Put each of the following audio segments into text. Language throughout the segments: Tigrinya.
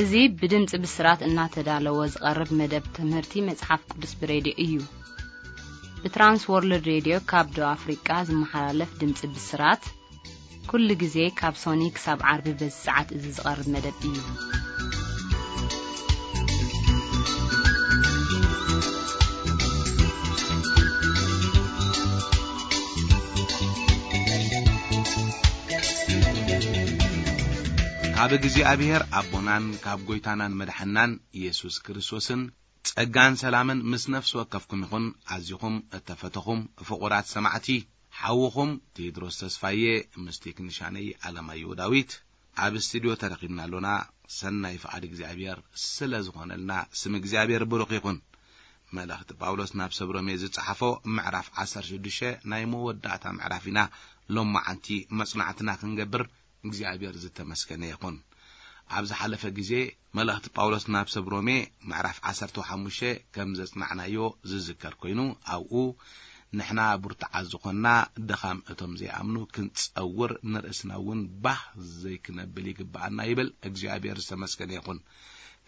እዚ ብድምጺ ብስራት እናተዳለወ ዝቐርብ መደብ ትምህርቲ መጽሓፍ ቅዱስ ብሬድዮ እዩ። ብትራንስ ወርልድ ሬድዮ ካብ ደቡብ ኣፍሪቃ ዝመሓላለፍ ድምጺ ብስራት፣ ኩሉ ግዜ ካብ ሶኒ ክሳብ ዓርቢ በዚ ሰዓት እዚ ዝቐርብ መደብ እዩ። ካብ እግዚኣብሔር ኣቦናን ካብ ጐይታናን መድሓናን ኢየሱስ ክርስቶስን ጸጋን ሰላምን ምስ ነፍሲ ወከፍኩም ይኹን። ኣዚኹም እተፈተኹም ፍቑራት ሰማዕቲ፣ ሓውኹም ቴድሮስ ተስፋዬ ምስ ቴክኒሻነይ ኣለማየሁ ዳዊት ኣብ ስቱድዮ ተረኺብና ኣሎና። ሰናይ ፍቓድ እግዚኣብሔር ስለ ዝኾነልና ስም እግዚኣብሔር ብሩኽ ይኹን። መልእኽቲ ጳውሎስ ናብ ሰብ ሮሜ ዝጸሓፎ ምዕራፍ ዓሰርተ ሽዱሽተ ናይ መወዳእታ ምዕራፍ ኢና ሎማዓንቲ መጽናዕትና ክንገብር እግዚኣብሔር ዝተመስገነ ይኹን። ኣብ ዝሓለፈ ግዜ መልእኽቲ ጳውሎስ ናብ ሰብ ሮሜ ምዕራፍ ዓሰርተ ሓሙሽተ ከም ዘጽናዕናዮ ዝዝከር ኮይኑ፣ ኣብኡ ንሕና ብርቱዓት ዝኾንና ድኻም እቶም ዘይኣምኑ ክንጸውር ንርእስና እውን ባህ ዘይክነብል ይግብኣና ይብል። እግዚኣብሔር ዝተመስገነ ይኹን።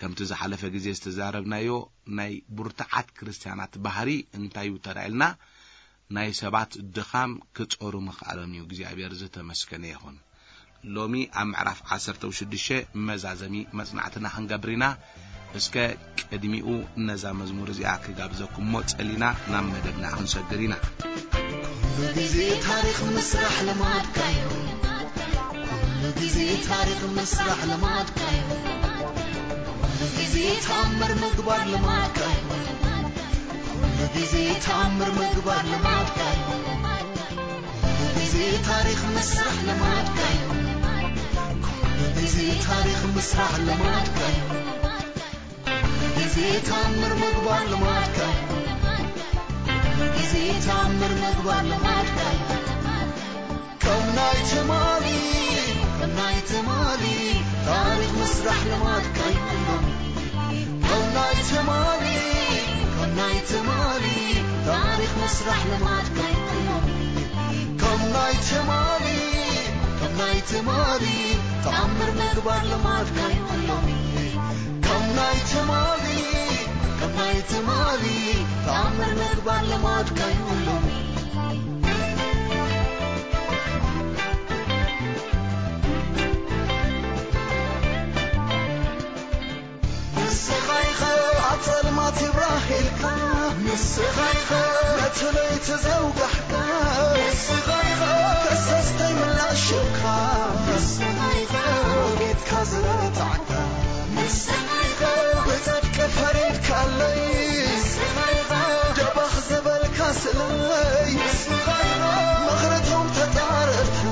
ከምቲ ዝሓለፈ ግዜ ዝተዛረብናዮ ናይ ብርቱዓት ክርስትያናት ባህሪ እንታይ እዩ ተራኢልና ናይ ሰባት ድኻም ክጾሩ ምኽኣሎም እዩ። እግዚኣብሔር ዝተመስገነ ይኹን። ሎሚ ኣብ ምዕራፍ ዓሰርተ ሽዱሽተ መዛዘሚ መጽናዕትና ክንገብር ኢና። እስከ ቅድሚኡ ነዛ መዝሙር እዚኣ ክጋብዘኩሞ ጸሊና ናብ መደብና ክንሰግር ኢና። ኩሉ ግዜ ታሪኽ ምስራሕ ልማድካ እዩ። ኩሉ ግዜ ታሪኽ ምስራሕ ልማድካ እዩ። ኩሉ ግዜ ተኣምር ምግባር ልማድካ እዩ። ኩሉ ግዜ ተኣምር ምግባር ልማድካ እዩ። ኩሉ ግዜ ታሪኽ ምስራሕ ልማድካ እዩ። ኩሉ ግዜ ታሪኽ ምስራሕ ልማድካ እዩ። ኩሉ ግዜ ተኣምር ምግባር ልማድካ እዩ። ኩሉ ግዜ ተኣምር ምግባር ልማድካ እዩ። ከም ናይ ትማሊ፣ ከም ናይ ትማሊ ታሪኽ ምስራሕ ልማድካ እዩ ሎሚ። ከም ናይ ትማሊ፣ ከም ናይ ትማሊ ታሪኽ ምስራሕ ልማድካ እዩ ሎሚ። ከም ናይ ትማሊ፣ ከም ናይ ትማሊ ተኣምር ምግባር ልማድካ እዩ ሎሚ። ከም ናይ ትማሊ፣ ከም ናይ ትማሊ ተኣምር ምግባር ልማድካ እዩ ሎሚ። ንስኻ ኢኻ ኣብ ጸልማት ይብራህ ኢልካ፣ ንስኻ ኢኻ ነቲ ለይቲ ዘውጋሕካ፣ ንስኻ ኢኻ ከሰስተይ ምላሽ ሽብካ፣ ንስኻ ኢኻ ወጊድካ ዝረታዕካ፣ ንስኻ ኢኻ ብጽድቂ ፈሪድካለይ፣ ንስኻ ኢኻ ደባኽ ዝበልካ ስለይ፣ ንስኻ ኢኻ ምኽርቶም ተጻረርተይ፣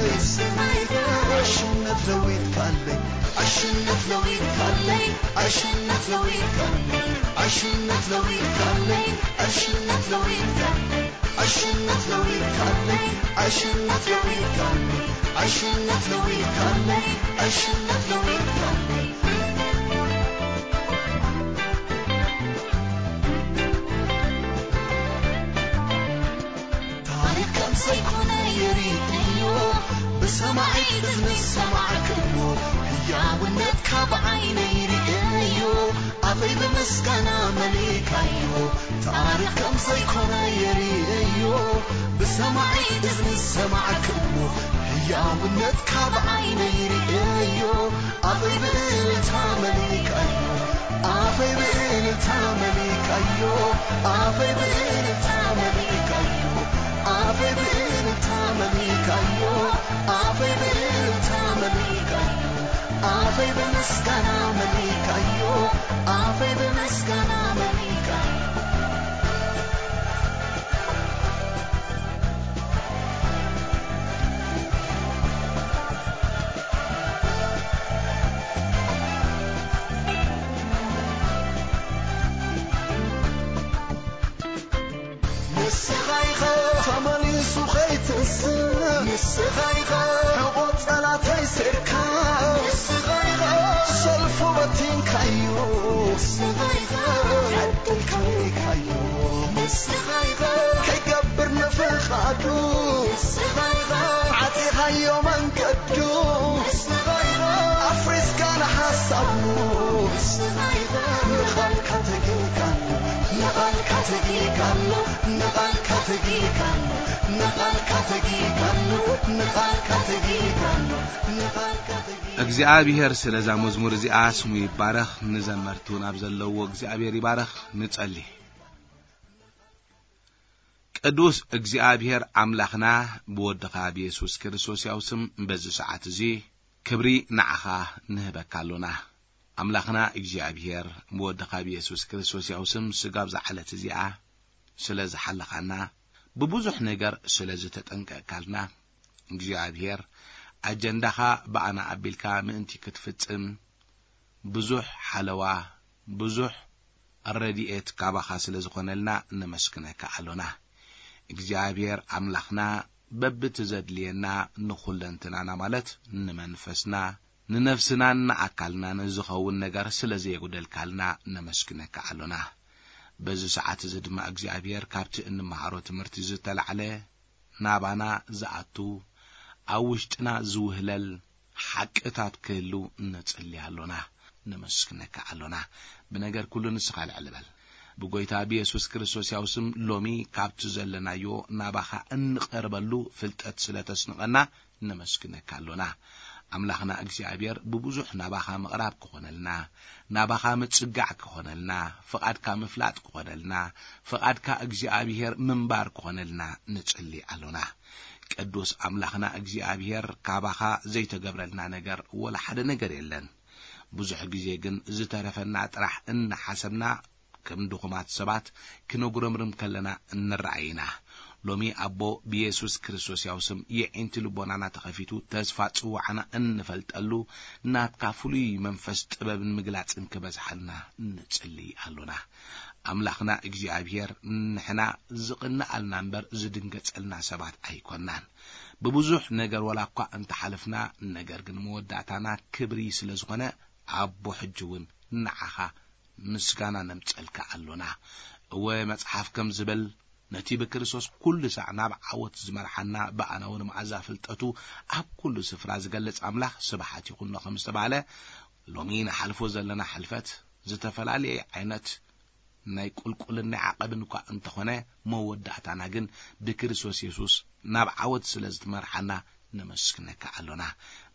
ንስኻ ኢኻ ዕሽነት ለዊጥካለይ፣ ዕሽነት ለዊጥካለይ፣ ዕሽነት ለዊጥካለይ፣ ዕሽነት ለዊጥካለይ፣ ዕሽነት ለዊጥካለይ፣ ዕሽነት ለዊጥካለይ፣ ዕሽነት ለዊጥካለይ፣ ዕሽነት ለዊጥካለይ፣ ዕሽነት ለዊጥካለይ። ታሪኽ ከም ዘይኮነ ይርእዮ፣ ብሰማዒ እዝኒ ዝሰማዕክዎ፣ ህያውነትካ ብዓይነይ ይርእዮ፣ ኣፈይ ብምስጋና መሊእካዮ። ታሪኽ ከም ዘይኮነ ይርእዮ፣ ብሰማዒ እዝኒ ዝሰማዕክዎ፣ ህያውነትካ ብዓይነይ ይርእዮ፣ ኣፈይ ብእልልታ መሊእካዮ፣ ኣፈይ ብእልልታ መሊእካዮ፣ ኣፈይ ብእልልታ መሊእካዮ፣ ኣፈይ ብእልልታ መሊእካዮ፣ ኣፈይ ብእልልታ መሊእካዮ፣ ኣፈይ ብምስጋና መሊእካዮ፣ ኣፈይ ብምስጋና መሊእካዮ። ንስኻ ኢኻ ተመሊሱ ኸይትንስእ፣ ንስኻ ኢኻ ሕቖ ጸላተይ ሴርካ፣ ንስኻ ኢኻ ሰልፉ በቲንካዮ፣ ንስኻ ኢኻ ዕድል ከሊእካዮ፣ ንስኻ ኢኻ ከይገብር ንፍቓዱ፣ ንስኻ ኢኻ ዓጺኻዮ መንገዱ፣ ንስኻ ኢኻ ኣፍሪስካ ንሓ ሳሙስ ንቓልካ ተጊጋሎ፣ ንቓልካ ተጊጋሎ፣ ንቓልካ ተጊጋሎ፣ ንቓልካ ተጊጋሎ፣ ንቓልካ ተጊጋሎ፣ ንቓልካ ተጊጋሎ። እግዚኣብሔር ስለዛ መዝሙር እዚኣ ስሙ ይባረኽ። ንዘመርቲ እውን ኣብ ዘለዎ እግዚኣብሔር ይባረኽ። ንጸሊ። ቅዱስ እግዚኣብሔር ኣምላኽና፣ ብወድኻ ብየሱስ ክርስቶስ ያው ስም በዚ ሰዓት እዚ ክብሪ ንዓኻ ንህበካ ኣሎና። ኣምላኽና እግዚኣብሔር፣ ብወድኻ ብየሱስ ክርስቶስ ያው ስም ስጋብ ዝዓለት እዚኣ ስለ ዝሓለኻና፣ ብብዙሕ ነገር ስለ ዝተጠንቀቅካልና፣ እግዚኣብሔር ኣጀንዳኻ ብኣና ኣቢልካ ምእንቲ ክትፍጽም ብዙሕ ሓለዋ፣ ብዙሕ ረድኤት ካባኻ ስለ ዝኾነልና ነመስግነካ ኣሎና። እግዚኣብሔር ኣምላኽና፣ በብቲ ዘድልየና ንኹለንትናና፣ ማለት ንመንፈስና፣ ንነፍስናን ንኣካልናን ዝኸውን ነገር ስለ ዘየጉደልካልና ነመስግነካ ኣሎና። በዚ ሰዓት እዚ ድማ እግዚኣብሔር፣ ካብቲ እንመሃሮ ትምህርቲ ዝተላዕለ ናባና ዝኣቱ፣ ኣብ ውሽጥና ዝውህለል ሓቅታት ክህሉ ንጽሊ ኣሎና፣ ነመስግነካ ኣሎና። ብነገር ኩሉ ንስኻ ልዕል በል። ብጎይታ ብየሱስ ክርስቶስ ያው ስም ሎሚ ካብቲ ዘለናዮ ናባኻ እንቐርበሉ ፍልጠት ስለ ተስንቐና ነመስግነካ ኣሎና። ኣምላኽና እግዚኣብሔር፣ ብብዙሕ ናባኻ ምቕራብ ክኾነልና፣ ናባኻ ምጽጋዕ ክኾነልና፣ ፍቓድካ ምፍላጥ ክኾነልና፣ ፍቓድካ እግዚኣብሔር ምንባር ክኾነልና ንጽሊ ኣሎና። ቅዱስ ኣምላኽና እግዚኣብሔር፣ ካባኻ ዘይተገብረልና ነገር ወላ ሓደ ነገር የለን። ብዙሕ ግዜ ግን ዝተረፈና ጥራሕ እናሓሰብና፣ ከም ድኹማት ሰባት ክነጉረምርም ከለና እንረኣይ ኢና። ሎሚ ኣቦ ብየሱስ ክርስቶስ ያው ስም የዒንቲ ልቦናና ተኸፊቱ፣ ተስፋ ጽዋዕና እንፈልጠሉ፣ ናትካ ፍሉይ መንፈስ ጥበብን ምግላጽን ክበዝሓልና ንጽሊ ኣሎና። ኣምላኽና እግዚኣብሔር፣ ንሕና ዝቕንኣልና እምበር ዝድንገጸልና ሰባት ኣይኮናን። ብብዙሕ ነገር ወላ እኳ እንተሓለፍና፣ ነገር ግን መወዳእታና ክብሪ ስለ ዝኾነ፣ ኣቦ ሕጂ እውን ንዓኻ ምስጋና ነምጸልካ ኣሎና። እወ፣ መጽሓፍ ከም ዝብል፣ ነቲ ብክርስቶስ ኩሉ ሳዕ ናብ ዓወት ዝመርሓና፣ ብኣና እውን መዓዛ ፍልጠቱ ኣብ ኩሉ ስፍራ ዝገልጽ ኣምላኽ ስብሓት ይኹኖ ከም ዝተባህለ፣ ሎሚ ንሓልፎ ዘለና ሕልፈት ዝተፈላለየ ዓይነት ናይ ቁልቁልን ናይ ዓቐብን እኳ እንተኾነ፣ መወዳእታና ግን ብክርስቶስ የሱስ ናብ ዓወት ስለ ዝትመርሓና ነመስግነካ ኣሎና።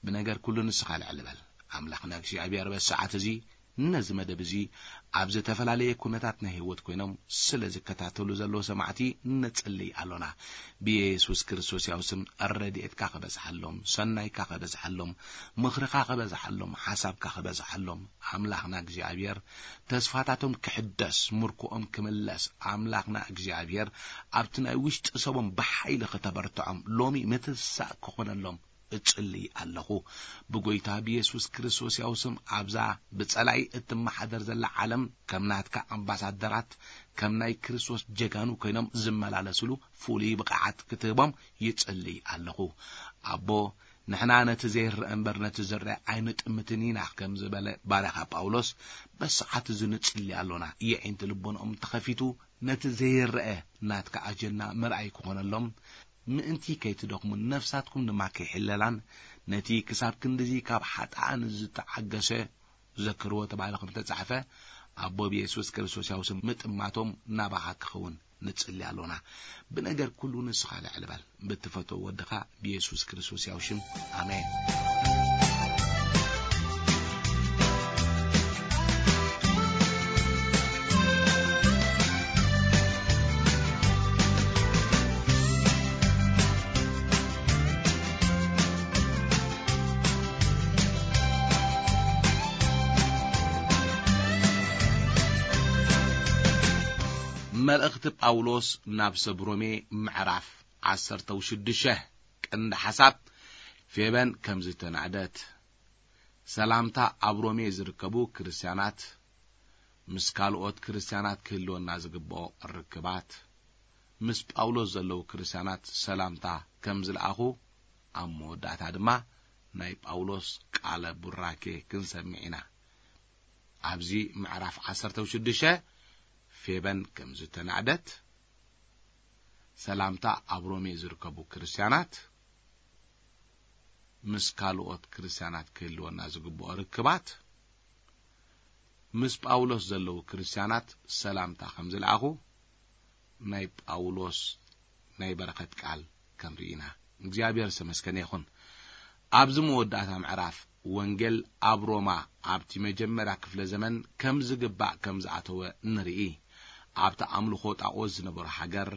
ብነገር ኩሉ ንስኻ ልዕል በል። ኣምላኽና እግዚኣብሔር በዚ ሰዓት እዚ ነዚ መደብ እዚ ኣብ ዝተፈላለየ ኩነታት ናይ ህይወት ኮይኖም ስለ ዝከታተሉ ዘለዉ ሰማዕቲ ነጽልይ ኣሎና። ብየሱስ ክርስቶስ ያው ስም ረድኤትካ ክበዝሓሎም፣ ሰናይካ ክበዝሓሎም፣ ምኽርኻ ክበዝሓሎም፣ ሓሳብካ ክበዝሓሎም፣ ኣምላኽና እግዚኣብሔር ተስፋታቶም ክሕደስ፣ ምርኮኦም ክምለስ፣ ኣምላኽና እግዚኣብሔር ኣብቲ ናይ ውሽጢ ሰቦም ብሓይሊ ክተበርትዖም ሎሚ ምትሳእ ክኾነሎም እጽሊ ኣለኹ። ብጎይታ ብየሱስ ክርስቶስ ያው ስም ኣብዛ ብጸላይ እትመሓደር ዘላ ዓለም ከም ናትካ ኣምባሳደራት፣ ከም ናይ ክርስቶስ ጀጋኑ ኮይኖም ዝመላለስሉ ፍሉይ ብቕዓት ክትህቦም ይጽሊ ኣለኹ። ኣቦ፣ ንሕና ነቲ ዘይረአ እምበር ነቲ ዝረአ ኣይንጥምትን ኢና ከም ዝበለ ባርያኻ ጳውሎስ፣ በሰዓት እዚ ንጽሊ ኣሎና። የዒንቲ ልቦንኦም ተኸፊቱ ነቲ ዘይረአ ናትካ ኣጀንዳ ምርኣይ ክኾነሎም፣ ምእንቲ ከይትደኽሙን ነፍሳትኩም ድማ ከይሕለላን፣ ነቲ ክሳብ ክንድዚ ካብ ሓጥኣን ዝተዓገሰ ዘክርዎ ተባሂሉ ከም ዝተጻሕፈ፣ ኣቦ ብየሱስ ክርስቶስ ያው ስም ምጥማቶም ናባኻ ክኸውን ንጽሊ ኣሎና። ብነገር ኩሉ ንስኻ ልዕል በል። ብትፈትዎ ወድኻ ብየሱስ ክርስቶስ ያው ሽም፣ ኣሜን። መልእኽቲ ጳውሎስ ናብ ሰብ ሮሜ ምዕራፍ ዓሰርተ ሽዱሽተ፣ ቀንዲ ሓሳብ፣ ፌበን ከም ዝተናዕደት። ሰላምታ ኣብ ሮሜ ዝርከቡ ክርስትያናት፣ ምስ ካልኦት ክርስትያናት ክህልወና ዝግብኦ ርክባት፣ ምስ ጳውሎስ ዘለዉ ክርስትያናት ሰላምታ ከም ዝለኣኹ፣ ኣብ መወዳእታ ድማ ናይ ጳውሎስ ቃለ ቡራኬ ክንሰምዕ ኢና። ኣብዚ ምዕራፍ ዓሰርተ ሽዱሽተ፣ ፌበን ከም ዝተናዕደት፣ ሰላምታ ኣብ ሮሜ ዝርከቡ ክርስትያናት፣ ምስ ካልኦት ክርስትያናት ክህልወና ዝግብኦ ርክባት፣ ምስ ጳውሎስ ዘለዉ ክርስትያናት ሰላምታ ከም ዝለኣኹ ናይ ጳውሎስ ናይ በረኸት ቃል ክንርኢ ኢና። እግዚኣብሔር ዝተመስገነ ይኹን። ኣብዚ መወዳእታ ምዕራፍ ወንጌል ኣብ ሮማ ኣብቲ መጀመርያ ክፍለ ዘመን ከም ዝግባእ ከም ዝኣተወ ንርኢ። ኣብቲ ኣምልኾ ጣኦት ዝነበሩ ሃገር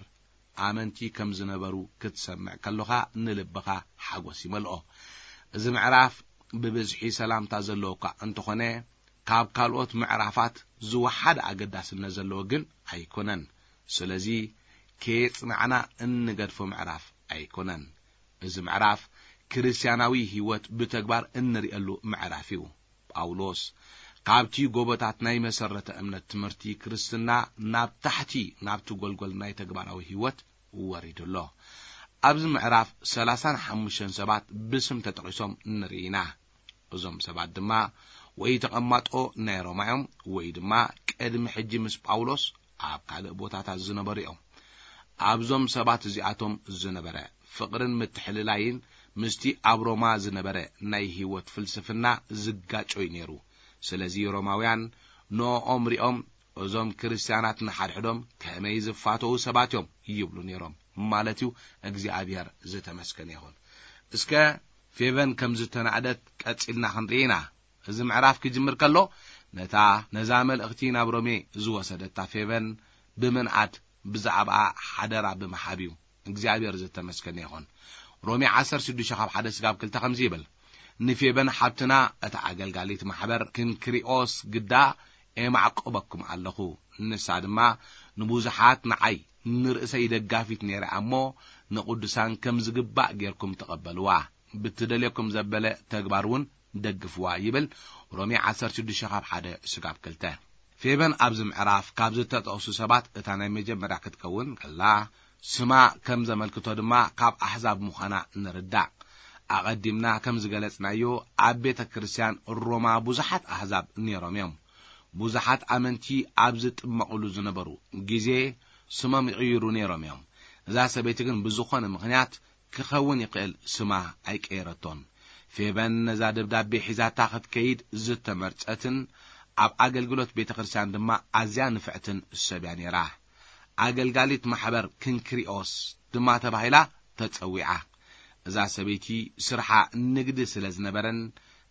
ኣመንቲ ከም ዝነበሩ ክትሰምዕ ከሎኻ ንልብኻ ሓጎስ ይመልኦ። እዚ ምዕራፍ ብብዝሒ ሰላምታ ዘለዎ እኳ እንተኾነ፣ ካብ ካልኦት ምዕራፋት ዝወሓደ ኣገዳስነት ዘለዎ ግን ኣይኮነን። ስለዚ ከየጽናዕና እንገድፎ ምዕራፍ ኣይኮነን። እዚ ምዕራፍ ክርስትያናዊ ህይወት ብተግባር እንርእየሉ ምዕራፍ እዩ። ጳውሎስ ካብቲ ጎቦታት ናይ መሰረተ እምነት ትምህርቲ ክርስትና ናብ ታሕቲ ናብቲ ጎልጎል ናይ ተግባራዊ ህይወት ወሪዱ ኣሎ። ኣብዚ ምዕራፍ ሰላሳን ሓሙሽተን ሰባት ብስም ተጠቒሶም ንርኢ ኢና። እዞም ሰባት ድማ ወይ ተቐማጦ ናይ ሮማ እዮም፣ ወይ ድማ ቅድሚ ሕጂ ምስ ጳውሎስ ኣብ ካልእ ቦታታት ዝነበሩ እዮም። ኣብዞም ሰባት እዚኣቶም ዝነበረ ፍቕርን ምትሕልላይን ምስቲ ኣብ ሮማ ዝነበረ ናይ ህይወት ፍልስፍና ዝጋጮ እዩ ነይሩ። ስለዚ ሮማውያን ንኦም ሪኦም፣ "እዞም ክርስትያናት ንሓድሕዶም ከመይ ዝፋተዉ ሰባት እዮም" ይብሉ ነይሮም ማለት እዩ። እግዚኣብሔር ዝተመስገነ ይኹን። እስከ ፌቨን ከም ዝተናእደት ቀጺልና ክንርኢ ኢና። እዚ ምዕራፍ ክጅምር ከሎ ነታ ነዛ መልእኽቲ ናብ ሮሜ ዝወሰደታ ፌቨን ብምንኣድ ብዛዕባኣ ሓደራ ብምሓብ እዩ። እግዚኣብሔር ዝተመስገነ ይኹን። ሮሜ ዓሰርተ ሽዱሽተ ካብ ሓደ ስጋብ ክልተ ከምዚ ይብል፣ "ንፌበን ሓብትና እታ ኣገልጋሊት ማሕበር ክንክሪኦስ ግዳ ኤማዕቆበኩም ኣለኹ። ንሳ ድማ ንብዙሓት ንዓይ ንርእሰይ ደጋፊት ነይራ እሞ ንቕዱሳን ከም ዝግባእ ጌርኩም ተቐበልዋ። ብትደልየኩም ዘበለ ተግባር እውን ደግፍዋ" ይብል። ሮሜ ዓሰርተ ሽዱሽተ ካብ ሓደ ስጋብ ክልተ። ፌበን ኣብዚ ምዕራፍ ካብ ዝተጠቕሱ ሰባት እታ ናይ መጀመርያ ክትከውን ከላ፣ ስማ ከም ዘመልክቶ ድማ ካብ ኣሕዛብ ምዃና ንርዳእ። ኣቐዲምና ከም ዝገለጽናዮ፣ ኣብ ቤተ ክርስቲያን ሮማ ብዙሓት ኣሕዛብ ነይሮም እዮም። ብዙሓት ኣመንቲ ኣብ ዝጥመቑሉ ዝነበሩ ግዜ ስሞም ይቕይሩ ነይሮም እዮም። እዛ ሰበይቲ ግን ብዝኾነ ምኽንያት ክኸውን ይኽእል ስማ ኣይቀየረቶን። ፌበን ነዛ ደብዳቤ ሒዛታ ክትከይድ ዝተመርጸትን ኣብ ኣገልግሎት ቤተ ክርስቲያን ድማ ኣዝያ ንፍዕትን ሰብ እያ ነይራ። ኣገልጋሊት ማሕበር ክንክሪኦስ ድማ ተባሂላ ተጸዊዓ። እዛ ሰበይቲ ስርሓ ንግዲ ስለ ዝነበረን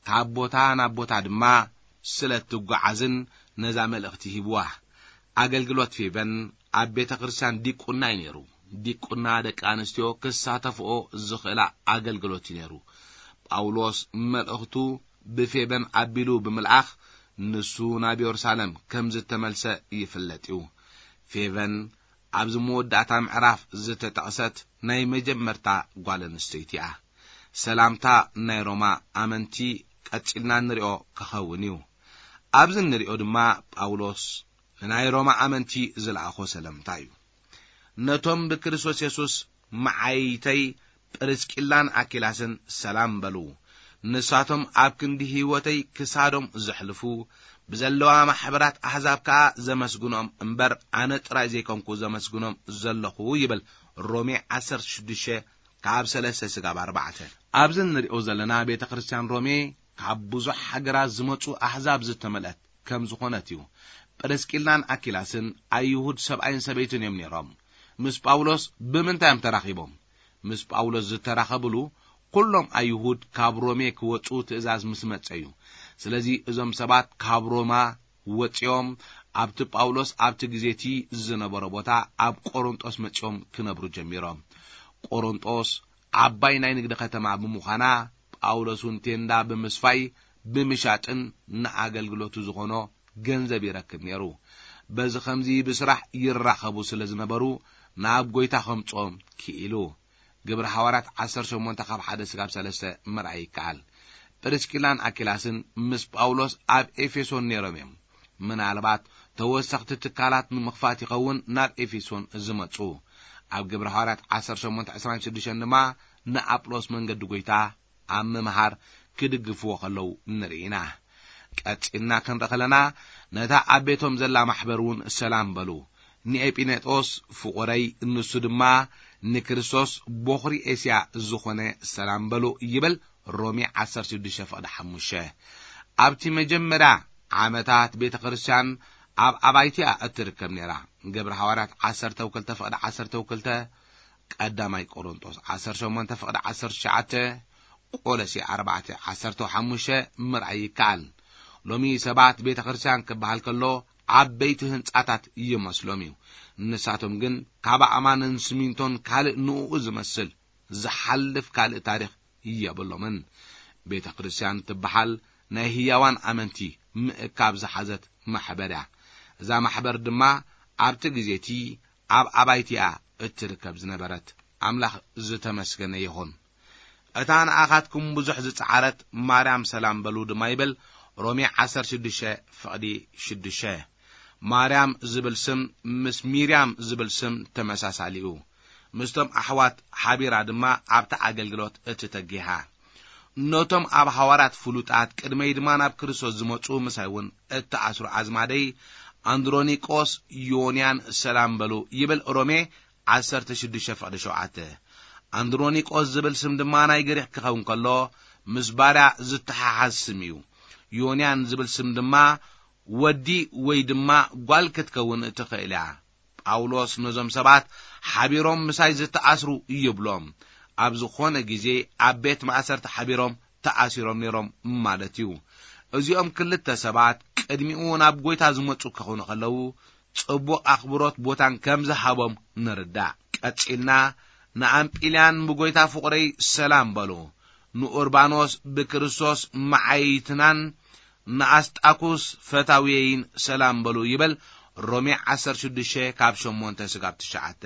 ካብ ቦታ ናብ ቦታ ድማ ስለ እትጓዓዝን ነዛ መልእኽቲ ሂብዋ። ኣገልግሎት ፌበን ኣብ ቤተ ክርስቲያን ዲቁና እዩ ነይሩ። ዲቁና ደቂ ኣንስትዮ ክሳተፍኦ ዝኽእላ ኣገልግሎት እዩ ነይሩ። ጳውሎስ መልእኽቱ ብፌበን ኣቢሉ ብምልኣኽ ንሱ ናብ የሩሳሌም ከም ዝተመልሰ ይፍለጥ እዩ። ፌበን ኣብዚ መወዳእታ ምዕራፍ ዝተጠቕሰት ናይ መጀመርታ ጓል ኣንስተይቲ እያ። ሰላምታ ናይ ሮማ ኣመንቲ ቀጺልና እንሪኦ ክኸውን እዩ። ኣብዚ እንሪኦ ድማ ጳውሎስ ንናይ ሮማ ኣመንቲ ዝለኣኾ ሰላምታ እዩ። "ነቶም ብክርስቶስ የሱስ መዓይይተይ ጵርስቂላን ኣኪላስን ሰላም በሉ። ንሳቶም ኣብ ክንዲ ህይወተይ ክሳዶም ዘሕልፉ፣ ብዘለዋ ማሕበራት ኣሕዛብ ከኣ ዘመስግኖም እምበር፣ ኣነ ጥራይ ዘይኮንኩ ዘመስግኖም ዘለኹ" ይብል። ሮሜ ዓሰርተ ሽዱሽተ ካብ ሰለስተ ስጋብ ኣርባዕተ። ኣብዚ እንሪኦ ዘለና ቤተ ክርስቲያን ሮሜ ካብ ብዙሕ ሃገራት ዝመጹ ኣሕዛብ ዝተመልአት ከም ዝኾነት እዩ። ጵርስቂላን ኣኪላስን ኣይሁድ ሰብኣይን ሰበይትን እዮም ነይሮም። ምስ ጳውሎስ ብምንታይ እዮም ተራኺቦም? ምስ ጳውሎስ ዝተራኸብሉ ኩሎም ኣይሁድ ካብ ሮሜ ክወጹ ትእዛዝ ምስ መጸ እዩ። ስለዚ እዞም ሰባት ካብ ሮማ ወጺኦም ኣብቲ ጳውሎስ ኣብቲ ግዜ እቲ ዝነበሮ ቦታ ኣብ ቆሮንጦስ መጺኦም ክነብሩ ጀሚሮም። ቆሮንጦስ ዓባይ ናይ ንግዲ ከተማ ብምዃና ጳውሎስ እውን ቴንዳ ብምስፋይ ብምሻጥን ንኣገልግሎቱ ዝኾኖ ገንዘብ ይረክብ ነይሩ። በዚ ኸምዚ ብስራሕ ይራኸቡ ስለ ዝነበሩ ናብ ጐይታ ኸምጽኦም ክኢሉ። ግብሪ ሃዋርያት ዓሰርተ ሸሞንተ ካብ ሓደ ስጋብ ሰለስተ ምርኣይ ይከኣል። ጵርስቂላን ኣኪላስን ምስ ጳውሎስ ኣብ ኤፌሶን ነይሮም እዮም። ምናልባት ተወሰኽቲ ትካላት ንምኽፋት ይኸውን ናብ ኤፌሶን ዝመጹ። ኣብ ግብሪ ሃዋርያት ዓሰርተ ሸሞንተ ዕስራን ሽዱሽተን ድማ ንኣጵሎስ መንገዲ ጐይታ ኣብ ምምሃር ክድግፍዎ ከለዉ ንርኢ ኢና። ቀጺልና ክንርኢ ከለና ነታ ኣብ ቤቶም ዘላ ማሕበር እውን ሰላም በሉ። ንኤጲኔጦስ ፍቑረይ፣ ንሱ ድማ ንክርስቶስ ቦኽሪ ኤስያ ዝኾነ ሰላም በሉ ይብል። ሮሜ ዓሰርተ ሽዱሽተ ፍቕዲ ሓሙሽተ። ኣብቲ መጀመርያ ዓመታት ቤተ ክርስቲያን ኣብ ኣባይቲኣ እትርከብ ነይራ። ግብረ ሃዋርያት ዓሰርተ ክልተ ፍቕዲ ዓሰርተ ክልተ፣ ቀዳማይ ቆሮንጦስ ዓሰርተ ሸሞንተ ፍቕዲ ዓሰርተ ትሽዓተ፣ ቆሎሴ ኣርባዕተ ዓሰርተ ሓሙሽተ ምርኣይ ይከኣል። ሎሚ ሰባት ቤተ ክርስቲያን ክበሃል ከሎ ዓበይቲ ህንጻታት ይመስሎም እዩ። ንሳቶም ግን ካብ ኣእማንን ስሚንቶን ካልእ ንእኡ ዝመስል ዝሓልፍ ካልእ ታሪኽ የብሎምን። ቤተ ክርስቲያን ትበሃል ናይ ህያዋን ኣመንቲ ምእካብ ዝሓዘት ማሕበር እያ። እዛ ማሕበር ድማ ኣብቲ ግዜ እቲ ኣብ ኣባይቲ እያ እትርከብ ዝነበረት። ኣምላኽ ዝተመስገነ ይኹን። እታ ንኣኻትኩም ብዙሕ ዝጸዓረት ማርያም ሰላም በሉ ድማ ይብል። ሮሜ ዓሰርተ ሽዱሽተ ፍቕዲ ሽዱሽተ። ማርያም ዝብል ስም ምስ ሚርያም ዝብል ስም ተመሳሳሊ እዩ። ምስቶም ኣሕዋት ሓቢራ ድማ ኣብቲ ኣገልግሎት እትተጊሃ። ነቶም ኣብ ሃዋርያት ፍሉጣት ቅድመይ ድማ ናብ ክርስቶስ ዝመጹ ምሳይ እውን እተኣስሩ ኣዝማደይ ኣንድሮኒቆስ፣ ዮንያን ሰላም በሉ ይብል ሮሜ ዓሰርተ ሽዱሽተ ፍቕዲ ሸውዓተ። ኣንድሮኒቆስ ዝብል ስም ድማ ናይ ግሪኽ ክኸውን ከሎ ምስ ባርያ ዝተሓሓዝ ስም እዩ። ዮንያን ዝብል ስም ድማ ወዲ ወይ ድማ ጓል ክትከውን ትኽእል እያ። ጳውሎስ ነዞም ሰባት ሓቢሮም ምሳይ ዝተኣስሩ ይብሎም። ኣብ ዝኾነ ግዜ ኣብ ቤት ማእሰርቲ ሓቢሮም ተኣሲሮም ነይሮም ማለት እዩ። እዚኦም ክልተ ሰባት ቅድሚኡ ናብ ጎይታ ዝመጹ ክኾኑ ከለዉ ጽቡቕ ኣኽብሮት ቦታን ከም ዝሃቦም ንርዳእ። ቀጺልና ንኣምጲልያን ብጎይታ ፍቕረይ ሰላም በሉ። ንኡርባኖስ ብክርስቶስ መዓይትናን ንኣስጣኩስ ፈታውየይን ሰላም በሉ ይብል ሮሜ ዓሰርተ ሽዱሽተ ካብ ሸሞንተ ስጋብ ትሽዓተ።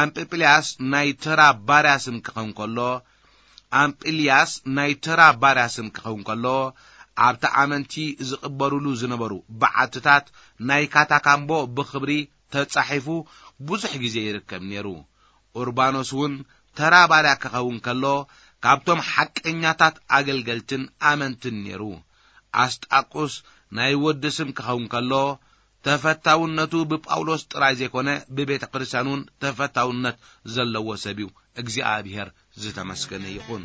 ኣምጵልያስ ናይ ተራ ባርያ ስም ክኸውን ከሎ፣ ኣምጵልያስ ናይ ተራ ባርያ ስም ክኸውን ከሎ፣ ኣብቲ ኣመንቲ ዝቕበሩሉ ዝነበሩ በዓትታት ናይ ካታካምቦ ብኽብሪ ተጻሒፉ ብዙሕ ግዜ ይርከብ ነይሩ። ኡርባኖስ እውን ተራ ባርያ ክኸውን ከሎ፣ ካብቶም ሓቀኛታት ኣገልገልትን ኣመንትን ነይሩ። ኣስጣቁስ ናይ ወዲ ስም ክኸውን ከሎ፣ ተፈታውነቱ ብጳውሎስ ጥራይ ዘይኮነ፣ ብቤተ ክርስቲያን እውን ተፈታውነት ዘለዎ ሰብ እዩ። እግዚኣብሔር ዝተመስገነ ይኹን።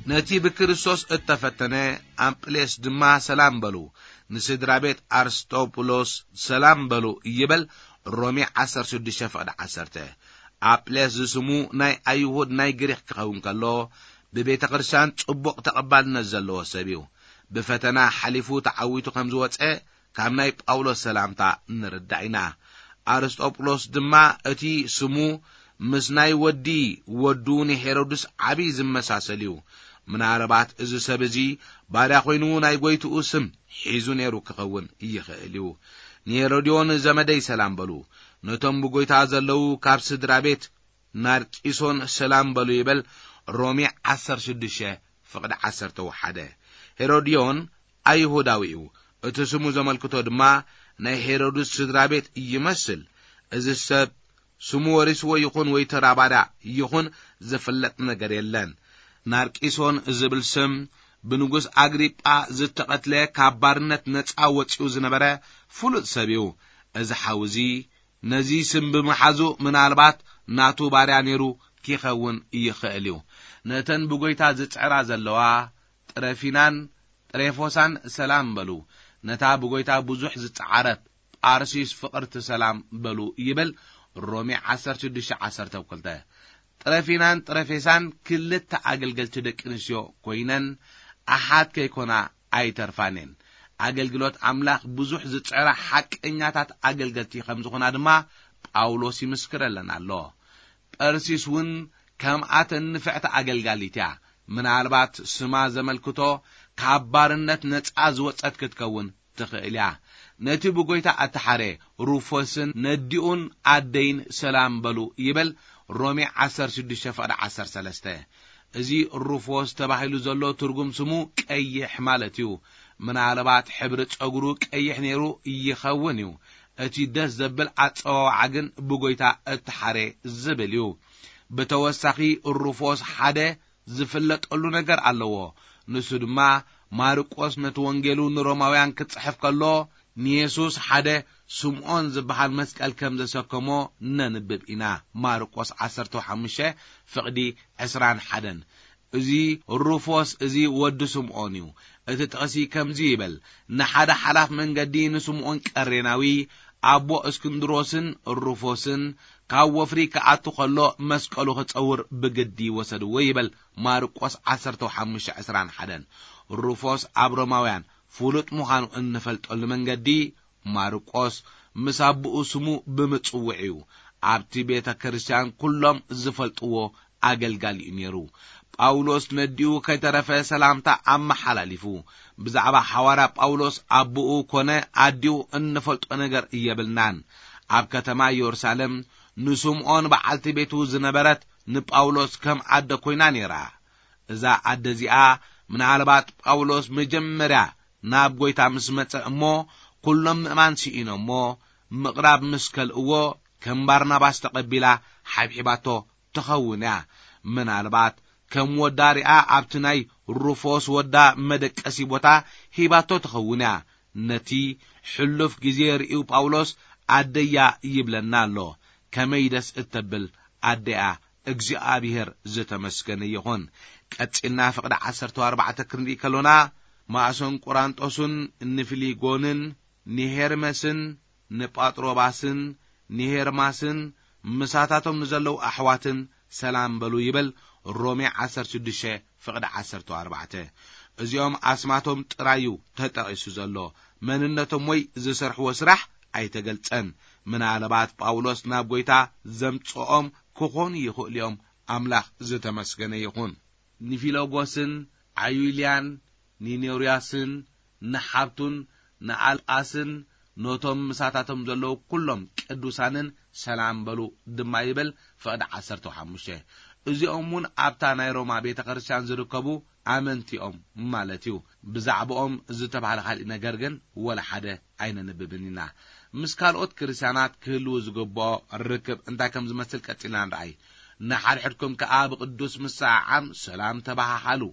ነቲ ብክርስቶስ እተፈተነ ኣምጵሌስ ድማ ሰላም በሉ። ንስድራ ቤት ኣርስጦብሎስ ሰላም በሉ ይበል። ሮሜ ዓሰርተ ሽዱሽተ ፍቕዲ ዓሰርተ። ኣምጵሌስ ዝስሙ ናይ ኣይሁድ ናይ ግሪኽ ክኸውን ከሎ፣ ብቤተ ክርስቲያን ጽቡቕ ተቐባልነት ዘለዎ ሰብ እዩ። ብፈተና ሓሊፉ ተዓዊቱ ከም ዝወጸ ካብ ናይ ጳውሎስ ሰላምታ ንርዳእ ኢና። ኣርስጦብሎስ ድማ እቲ ስሙ ምስ ናይ ወዲ ወዱ ንሄሮድስ ዓቢ ዝመሳሰል እዩ። ምናልባት እዚ ሰብ እዚ ባርያ ኮይኑ ናይ ጎይትኡ ስም ሒዙ ነይሩ ክኸውን ይኽእል እዩ። ንሄሮድዮን ዘመደይ ሰላም በሉ። ነቶም ብጎይታ ዘለዉ ካብ ስድራ ቤት ናርቂሶን ሰላም በሉ ይበል። ሮሜ ዓሰርተ ሽዱሽተ ፍቕዲ ዓሰርተ ሓደ። ሄሮድዮን ኣይሁዳዊ እዩ። እቲ ስሙ ዘመልክቶ ድማ ናይ ሄሮድስ ስድራ ቤት ይመስል። እዚ ሰብ ስሙ ወሪስዎ ይኹን ወይ ተራ ባርያ ይኹን ዝፍለጥ ነገር የለን። ናርቂሶን ዝብል ስም ብንጉስ ኣግሪጳ ዝተቐትለ፣ ካብ ባርነት ነጻ ወጺኡ ዝነበረ ፍሉጥ ሰብ እዩ። እዚ ሓው እዚ ነዚ ስም ብምሓዙ ምናልባት ናቱ ባርያ ነይሩ ኪኸውን ይኽእል እዩ። ነተን ብጎይታ ዝጽዕራ ዘለዋ ጥረፊናን ጥሬፎሳን ሰላም በሉ። ነታ ብጎይታ ብዙሕ ዝጸዓረት ጳርሲስ ፍቕርቲ ሰላም በሉ ይብል ሮሜ ዓሰርተ ሽዱሽተ ዓሰርተ ክልተ። ጥረፊናን ጥረፌሳን ክልተ ኣገልገልቲ ደቂ ኣንስትዮ ኮይነን ኣሓት ከይኮና ኣይተርፋን እየን። ኣገልግሎት ኣምላኽ ብዙሕ ዝጽዕራ ሓቀኛታት ኣገልገልቲ ከም ዝኾና ድማ ጳውሎስ ይምስክረለን ኣሎ። ጳርሲስ እውን ከምኣተን ንፍዕቲ ኣገልጋሊት እያ። ምናልባት ስማ ዘመልክቶ ካብ ባርነት ነጻ ዝወጸት ክትከውን ትኽእል እያ። ነቲ ብጎይታ እተሓረ ሩፎስን ነዲኡን ኣደይን ሰላም በሉ ይብል ሮሜ ዓሰርተ ሽዱሽተ ፍቕዲ ዓሰርተ ሰለስተ። እዚ ሩፎስ ተባሂሉ ዘሎ ትርጉም ስሙ ቀይሕ ማለት እዩ። ምናልባት ሕብሪ ጸጉሩ ቀይሕ ነይሩ ይኸውን እዩ። እቲ ደስ ዘብል ኣጸዋውዓ ግን ብጎይታ እተሓረ ዝብል እዩ። ብተወሳኺ ሩፎስ ሓደ ዝፍለጠሉ ነገር ኣለዎ። ንሱ ድማ ማርቆስ ነቲ ወንጌሉ ንሮማውያን ክጽሕፍ ከሎ ንየሱስ ሓደ ስምዖን ዝበሃል መስቀል ከም ዘሰከሞ ነንብብ ኢና። ማርቆስ ዓሰርተ ሓሙሽተ ፍቕዲ ዕስራን ሓደን። እዚ ሩፎስ እዚ ወዲ ስምዖን እዩ። እቲ ጥቕሲ ከምዚ ይብል፣ ንሓደ ሓላፍ መንገዲ ንስምዖን ቀሬናዊ ኣቦ እስክንድሮስን ሩፎስን ካብ ወፍሪ ክኣቱ ከሎ መስቀሉ ክጸውር ብግዲ ወሰድዎ ይብል ማርቆስ ዓሰርተ ሓሙሽተ ዕስራን ሓደን። ሩፎስ ኣብ ሮማውያን ፍሉጥ ምዃኑ እንፈልጠሉ መንገዲ ማርቆስ ምስ ኣቦኡ ስሙ ብምጽውዕ እዩ። ኣብቲ ቤተ ክርስቲያን ኩሎም ዝፈልጥዎ ኣገልጋሊ እዩ ነይሩ። ጳውሎስ ነዲኡ ከይተረፈ ሰላምታ ኣመሓላሊፉ። ብዛዕባ ሓዋርያ ጳውሎስ ኣቦኡ ኮነ ኣዲኡ እንፈልጦ ነገር የብልናን። ኣብ ከተማ ኢየሩሳሌም ንስምዖን በዓልቲ ቤቱ ዝነበረት ንጳውሎስ ከም ኣደ ኮይና ነይራ። እዛ ኣደ እዚኣ ምናልባት ጳውሎስ መጀመርያ ናብ ጎይታ ምስ መጸ እሞ ኩሎም ምእማን ስኢኖሞ ምቕራብ ምስ ከልእዎ ከም ባርናባስ ተቐቢላ ሓብሒባቶ ትኸውን እያ። ምናልባት ከም ወዳ ሪኣ ኣብቲ ናይ ሩፎስ ወዳ መደቀሲ ቦታ ሂባቶ ትኸውን እያ። ነቲ ሕሉፍ ግዜ ርእዩ ጳውሎስ ኣደያ ይብለና ኣሎ። ከመይ ደስ እተብል ኣደያ! እግዚኣብሔር ዝተመስገነ ይኹን። ቀጺልና ፍቕዲ ዓሰርተ ኣርባዕተ ክንርኢ ከሎና፣ ማእሶን ቁራንጦስን ንፊሊጎንን ንሄርመስን ንጳጥሮባስን ንሄርማስን ምሳታቶም ንዘለዉ ኣሕዋትን ሰላም በሉ ይብል ሮሜ ዓሰርተ ሽዱሽተ ፍቕዲ ዓሰርተ ኣርባዕተ። እዚኦም ኣስማቶም ጥራዩ ተጠቒሱ ዘሎ፣ መንነቶም ወይ ዝሰርሕዎ ስራሕ ኣይተገልጸን። ምናልባት ጳውሎስ ናብ ጎይታ ዘምጽኦም ክኾኑ ይኽእሉ እዮም። ኣምላኽ ዝተመስገነ ይኹን። ንፊሎጎስን ዓዩልያን ንኔርያስን ንሓብቱን ንኣልኣስን ነቶም ምሳታቶም ዘለዉ ኩሎም ቅዱሳንን ሰላም በሉ ድማ ይብል ፍቕዲ ዓሰርተ ሓሙሽተ። እዚኦም እውን ኣብታ ናይ ሮማ ቤተ ክርስቲያን ዝርከቡ ኣመንቲኦም ማለት እዩ። ብዛዕባኦም ዝተባህለ ካሊእ ነገር ግን ወላ ሓደ ኣይነንብብን ኢና። ምስ ካልኦት ክርስቲያናት ክህልዉ ዝግብኦ ርክብ እንታይ ከም ዝመስል ቀጺልና ንርኣይ። ንሓድሕድኩም ከኣ ብቅዱስ ምስዓዓም ሰላም ተባሃሃሉ።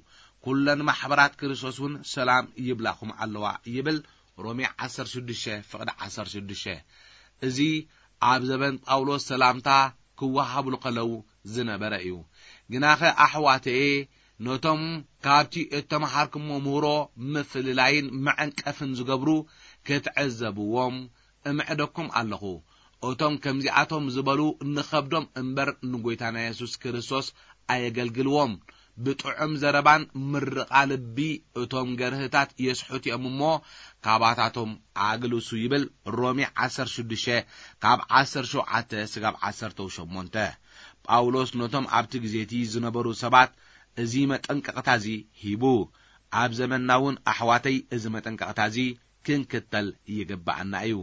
ኩለን ማሕበራት ክርስቶስ እውን ሰላም ይብላኹም ኣለዋ ይብል ሮሜ ዓሰርተ ሽዱሽተ ፍቕዲ ዓሰርተ ሽዱሽተ። እዚ ኣብ ዘበን ጳውሎስ ሰላምታ ክወሃብሉ ከለዉ ዝነበረ እዩ። ግናኸ ኣሕዋተየ፣ ነቶም ካብቲ እተመሃርኩሞ ምህሮ ምፍልላይን መዐንቀፍን ዝገብሩ ክትዕዘብዎም እምዕደኩም ኣለኹ። እቶም ከምዚኣቶም ዝበሉ ንኸብዶም እምበር ንጎይታና የሱስ ክርስቶስ ኣየገልግልዎም። ብጥዑም ዘረባን ምርቓ ልቢ እቶም ገርህታት የስሕቱ እዮም እሞ፣ ካባታቶም ኣግልሱ ይብል ሮሜ ዓሰርተ ሽዱሽተ ካብ ዓሰርተ ሸውዓተ ስጋብ ዓሰርተ ሸሞንተ። ጳውሎስ ነቶም ኣብቲ ግዜ እቲ ዝነበሩ ሰባት እዚ መጠንቀቕታ እዚ ሂቡ። ኣብ ዘመንና እውን ኣሕዋተይ እዚ መጠንቀቕታ እዚ ክንክተል ይግብኣና እዩ።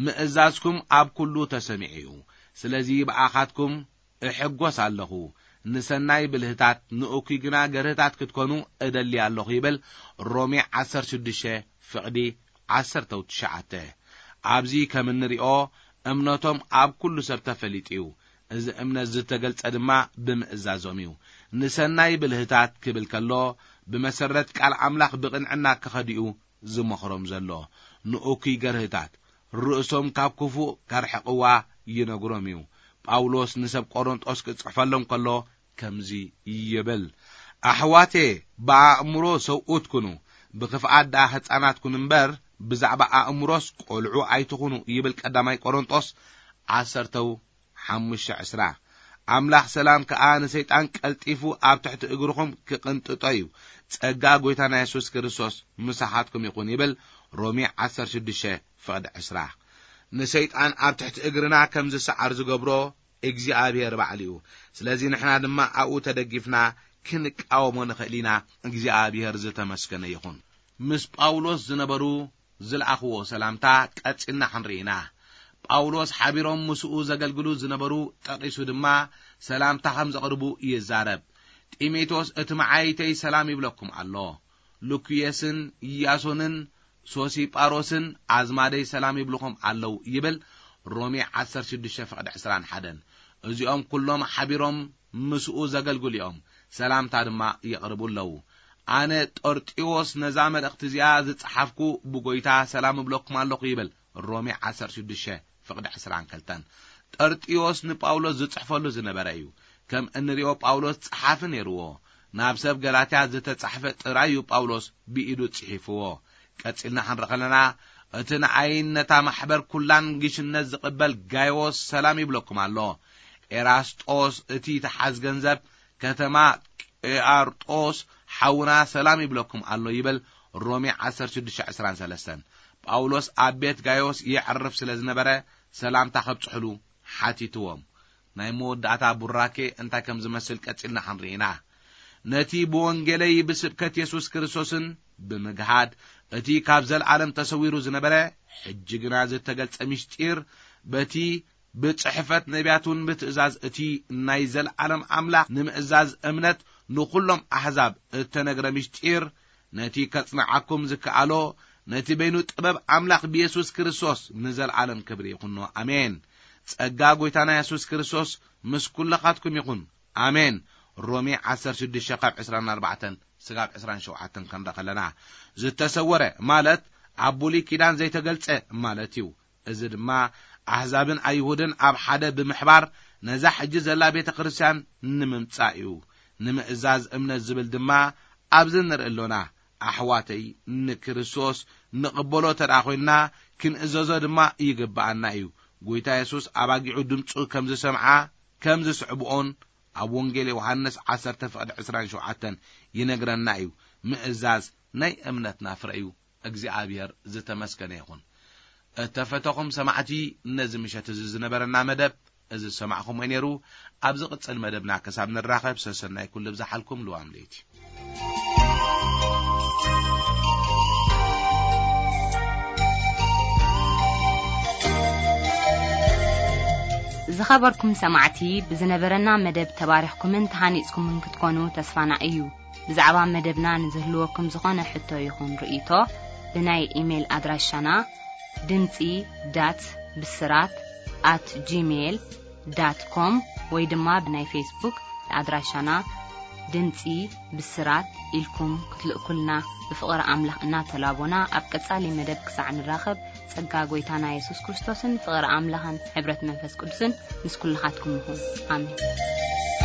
ምእዛዝኩም ኣብ ኩሉ ተሰሚዑ እዩ። ስለዚ ብኣኻትኩም እሕጎስ ኣለኹ። ንሰናይ ብልህታት፣ ንእኩይ ግና ገርህታት ክትኮኑ እደሊ ኣለኹ ይብል ሮሜ ዓሰርተ ሽዱሽተ ፍቕዲ ዓሰርተ ትሽዓተ። ኣብዚ ከም እንሪኦ እምነቶም ኣብ ኩሉ ሰብ ተፈሊጡ እዩ። እዚ እምነት ዝተገልጸ ድማ ብምእዛዞም እዩ። ንሰናይ ብልህታት ክብል ከሎ፣ ብመሰረት ቃል ኣምላኽ ብቕንዕና ክኸዱ እዩ ዝመኽሮም ዘሎ። ንእኩይ ገርህታት ርእሶም ካብ ክፉእ ከርሕቕዋ ይነግሮም እዩ። ጳውሎስ ንሰብ ቆሮንጦስ ክጽሕፈሎም ከሎ ከምዚ ይብል፣ ኣሕዋቴ፣ ብኣእምሮ ሰብኡት ኩኑ፣ ብኽፍኣት ደኣ ህጻናት ኩኑ እምበር፣ ብዛዕባ ኣእምሮስ ቆልዑ ኣይትኹኑ ይብል ቀዳማይ ቆሮንጦስ ዓሰርተው ሓሙሽተ ዕስራ። ኣምላኽ ሰላም ከኣ ንሰይጣን ቀልጢፉ ኣብ ትሕቲ እግርኹም ክቕንጥጦ እዩ። ጸጋ ጐይታና የሱስ ክርስቶስ ምሳኻትኩም ይኹን ይብል ሮሜ ዓሰርተ ሽዱሽተ ፍቕዲ ዕስራ። ንሰይጣን ኣብ ትሕቲ እግርና ከም ዝሰዓር ዝገብሮ እግዚኣብሔር ባዕሉ እዩ። ስለዚ ንሕና ድማ ኣብኡ ተደጊፍና ክንቃወሞ ንኽእል ኢና። እግዚኣብሔር ዝተመስገነ ይኹን። ምስ ጳውሎስ ዝነበሩ ዝለኣኽዎ ሰላምታ ቀጺልና ክንርኢ ኢና። ጳውሎስ ሓቢሮም ምስኡ ዘገልግሉ ዝነበሩ ጠቒሱ ድማ ሰላምታ ከም ዘቕርቡ ይዛረብ። ጢሞቴዎስ እቲ መዓይተይ ሰላም ይብለኩም ኣሎ። ሉክየስን ኢያሶንን ሶሲጳሮስን ኣዝማደይ ሰላም ይብልኹም ኣለዉ ይብል። ሮሜ ዓሰርተ ሽዱሽተ ፍቕዲ ዕስራን ሓደን። እዚኦም ኩሎም ሓቢሮም ምስኡ ዘገልግሉ እዮም። ሰላምታ ድማ የቕርቡ ኣለዉ። ኣነ ጦርጢዎስ ነዛ መልእኽቲ እዚኣ ዝጸሓፍኩ ብጎይታ ሰላም እብለኩም ኣለኹ ይብል። ሮሜ ዓሰርተ ሽዱሽተ ፍቕዲ ዕስራን ክልተን። ጠርጢዎስ ንጳውሎስ ዝጽሕፈሉ ዝነበረ እዩ። ከም እንሪኦ ጳውሎስ ጸሓፊ ነይርዎ። ናብ ሰብ ገላትያ ዝተጻሕፈ ጥራይ እዩ ጳውሎስ ብኢዱ ጽሒፍዎ። ቀጺልና ክንርኢ ከለና፣ እቲ ንኣይን ነታ ማሕበር ኩላን ግሽነት ዝቕበል ጋይዎስ ሰላም ይብለኩም ኣሎ። ኤራስጦስ እቲ ተሓዝ ገንዘብ ከተማ ቄኣርጦስ ሓውና ሰላም ይብለኩም ኣሎ ይብል። ሮሜ ዓሰርተ ሽዱሽተ ዕስራን ሰለስተን። ጳውሎስ ኣብ ቤት ጋይዎስ የዕርፍ ስለ ዝነበረ ሰላምታ ከብጽሕሉ ሓቲትዎም። ናይ መወዳእታ ቡራኬ እንታይ ከም ዝመስል ቀጺልና ክንርኢ ኢና። ነቲ ብወንጌለይ ብስብከት የሱስ ክርስቶስን ብምግሃድ እቲ ካብ ዘለዓለም ተሰዊሩ ዝነበረ ሕጂ ግና ዝተገልጸ ምስጢር በቲ ብጽሕፈት ነቢያት እውን ብትእዛዝ እቲ ናይ ዘለዓለም ኣምላኽ ንምእዛዝ እምነት ንኹሎም ኣሕዛብ እተነግረ ምስጢር ነቲ ከጽንዓኩም ዝከኣሎ ነቲ በይኑ ጥበብ ኣምላኽ ብየሱስ ክርስቶስ ንዘለዓለም ክብሪ ይኹኖ። ኣሜን። ጸጋ ጐይታና የሱስ ክርስቶስ ምስ ኩልኻትኩም ይኹን። ኣሜን። ሮሜ ዓሰርተ ሽዱሽተ ካብ ዕስራን ኣርባዕተን ስጋብ ዕስራን ሸውዓተን ክንርኢ ከለና፣ ዝተሰወረ ማለት ኣብ ብሉይ ኪዳን ዘይተገልጸ ማለት እዩ። እዚ ድማ ኣሕዛብን ኣይሁድን ኣብ ሓደ ብምሕባር ነዛ ሕጂ ዘላ ቤተ ክርስቲያን ንምምጻእ እዩ። ንምእዛዝ እምነት ዝብል ድማ ኣብዚ ንርኢ ኣሎና። ኣሕዋተይ፣ ንክርስቶስ ንቕበሎ ተደኣ ኮይንና፣ ክንእዘዞ ድማ ይግብኣና እዩ። ጐይታ የሱስ ኣባጊዑ ድምጹ ከም ዝሰምዓ፣ ከም ዝስዕብኦን ኣብ ወንጌል ዮሃንስ ዓሰርተ ፍቕዲ ዕስራን ሸውዓተን ይነግረና እዩ። ምእዛዝ ናይ እምነትና ፍረ እዩ። እግዚኣብሔር ዝተመስገነ ይኹን። እተፈተኹም ሰማዕቲ፣ ነዚ ምሸት እዚ ዝነበረና መደብ እዚ ዝሰማዕኹምዎ ነይሩ። ኣብ ዝቕጽል መደብና ክሳብ ንራኸብ፣ ሰሰናይ ኩሉ ብዝሓልኩም ልዋም ለይቲ። ዝኸበርኩም ሰማዕቲ፣ ብዝነበረና መደብ ተባሪኽኩምን ተሃኒጽኩምን ክትኮኑ ተስፋና እዩ። ብዛዕባ መደብና ንዝህልወኩም ዝኾነ ሕቶ ይኹን ርእይቶ፣ ብናይ ኢሜይል ኣድራሻና ድምጺ ዳት ብስራት ኣት ጂሜይል ዳት ኮም ወይ ድማ ብናይ ፌስቡክ ኣድራሻና ድምጺ ብስራት ኢልኩም ክትልእኩልና ብፍቕሪ ኣምላኽ እናተላቦና፣ ኣብ ቀጻሊ መደብ ክሳዕ ንራኸብ፣ ጸጋ ጐይታና የሱስ ክርስቶስን ፍቕሪ ኣምላኽን ሕብረት መንፈስ ቅዱስን ምስ ኩልኻትኩም ይኹን። ኣሜን።